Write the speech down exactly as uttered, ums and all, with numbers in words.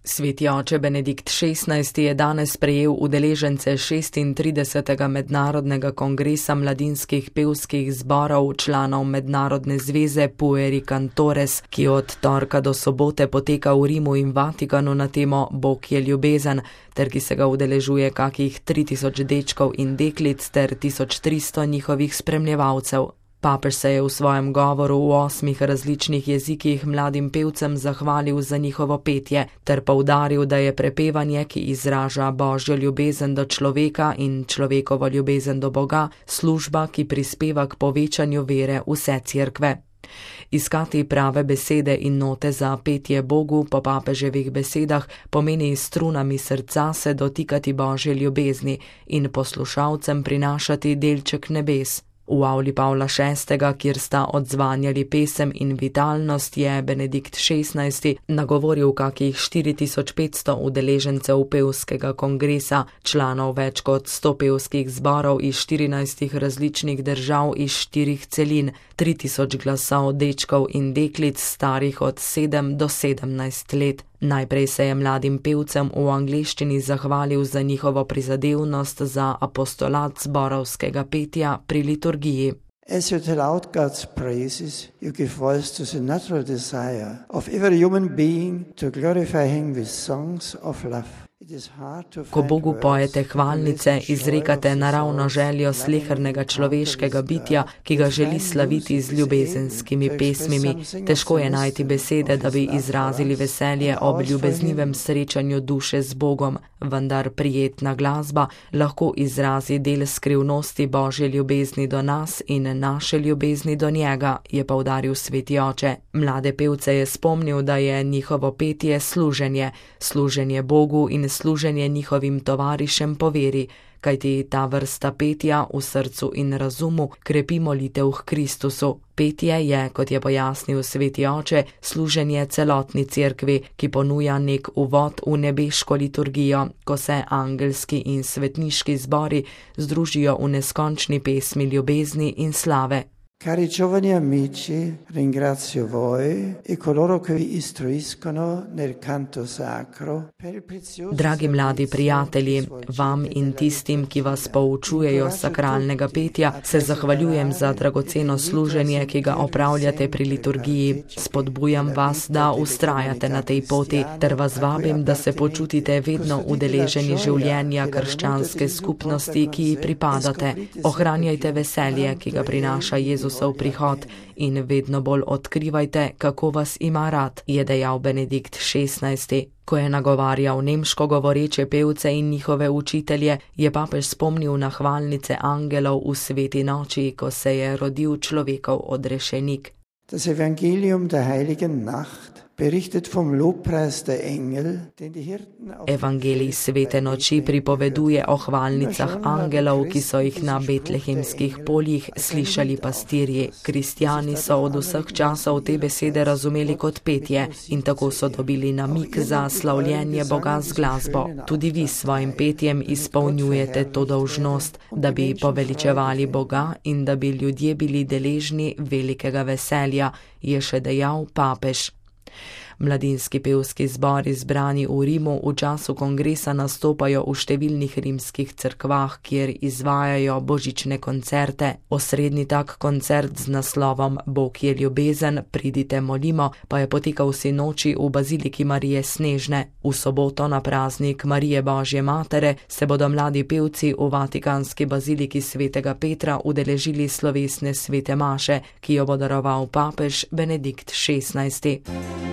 Sveti oče Benedikt šestnajsti je danes prejel udeležence šestintridesetega mednarodnega kongresa mladinskih pevskih zborov članov Mednarodne zveze Pueri Cantores, ki od torka do sobote poteka v Rimu in Vatikanu na temo Bog je ljubezen, ter ki se ga udeležuje kakih tri tisoč dečkov in deklic ter tisoč tristo njihovih spremljevalcev. Papež se je v svojem govoru v osmih različnih jezikih mladim pevcem zahvalil za njihovo petje, ter poudaril, da je prepevanje, ki izraža Božjo ljubezen do človeka in človekovo ljubezen do Boga, služba, ki prispeva k povečanju vere vse cerkve. Iskati prave besede in note za petje Bogu po papeževih besedah pomeni s strunami srca se dotikati Božje ljubezni in poslušalcem prinašati delček nebes. V avli Pavla šestega, kjer sta odzvanjali pesem in vitalnost, je Benedikt šestnajsti nagovoril kakih štiri tisoč petsto udeležencev pevskega kongresa, članov več kot sto pevskih zborov iz štirinajstih različnih držav iz štirih celin, tri tisoč glasov dečkov in deklic starih od sedem do sedemnajst let. Najprej se je mladim pevcem v angleščini zahvalil za njihovo prizadevnost za apostolat zborovskega petja pri liturgiji. As you tell out God's praises, you give voice to the natural desire of every human being to glorify Him with songs of love. Ko Bogu pojete hvalnice, izrekate naravno željo slehernega človeškega bitja, ki ga želi slaviti z ljubezenskimi pesmimi. Težko je najti besede, da bi izrazili veselje ob ljubeznivem srečanju duše z Bogom, vendar prijetna glasba lahko izrazi del skrivnosti Božje ljubezni do nas in naše ljubezni do njega, je poudaril sveti oče. Mlade pevce je spomnil, da je njihovo petje služenje, služenje Bogu in služenje njihovim tovarišem po veri, kajti ta vrsta petja v srcu in razumu krepi molitev k Kristusu. Petje je, kot je pojasnil sveti oče, služenje celotni cerkvi, ki ponuja nek uvod v nebeško liturgijo, ko se angelski in svetniški zbori združijo v neskončni pesmi ljubezni in slave. Cari giovani amici, ringrazio voi e coloro che vi istruiscono nel canto sacro per il prezioso. Dragi mladi prijatelji, vam in tistim, ki vas poučujejo sakralnega petja, se zahvaljujem za dragoceno služenje, ki ga opravljate pri liturgiji. Spodbujam vas, da ustrajate na tej poti, ter vas vabim, da se počutite vedno udeleženi življenja krščanske skupnosti, ki ji pripadate. Ohranjajte veselje, ki ga prinaša Jezus v prihod, in vedno bolj odkrivajte, kako vas ima rad, je dejal Benedikt šestnajsti. Ko je nagovarjal nemško govoreče pevce in njihove učitelje, je papež spomnil na hvalnice angelov v sveti noči, ko se je rodil človekov odrešenik. Das Evangelium der heiligen Nacht berichtet vom Lobpreis der Engel, den die Hirten auf Evangelij svete noči pripoveduje o hvalnicah angelov, ki so jih na betlehemskih poljih slišali pastirji. Kristjani so od vseh časov te besede razumeli kot petje in tako so dobili namig za slavljenje Boga z glasbo. Tudi vi s svojim petjem izpolnjujete to dolžnost, da bi poveličevali Boga in da bi ljudje bili deležni velikega veselja, je še dejal papež. Mladinski pevski zbori zbrani v Rimu v času kongresa nastopajo v številnih rimskih cerkvah, kjer izvajajo božične koncerte. Osrednji tak koncert z naslovom Bog je ljubezen, pridite molimo, pa je potekal sinoči v baziliki Marije Snežne. V soboto na praznik Marije Božje matere se bodo mladi pevci v vatikanski baziliki svetega Petra udeležili slovesne svete maše, ki jo bo daroval papež Benedikt šestnajsti.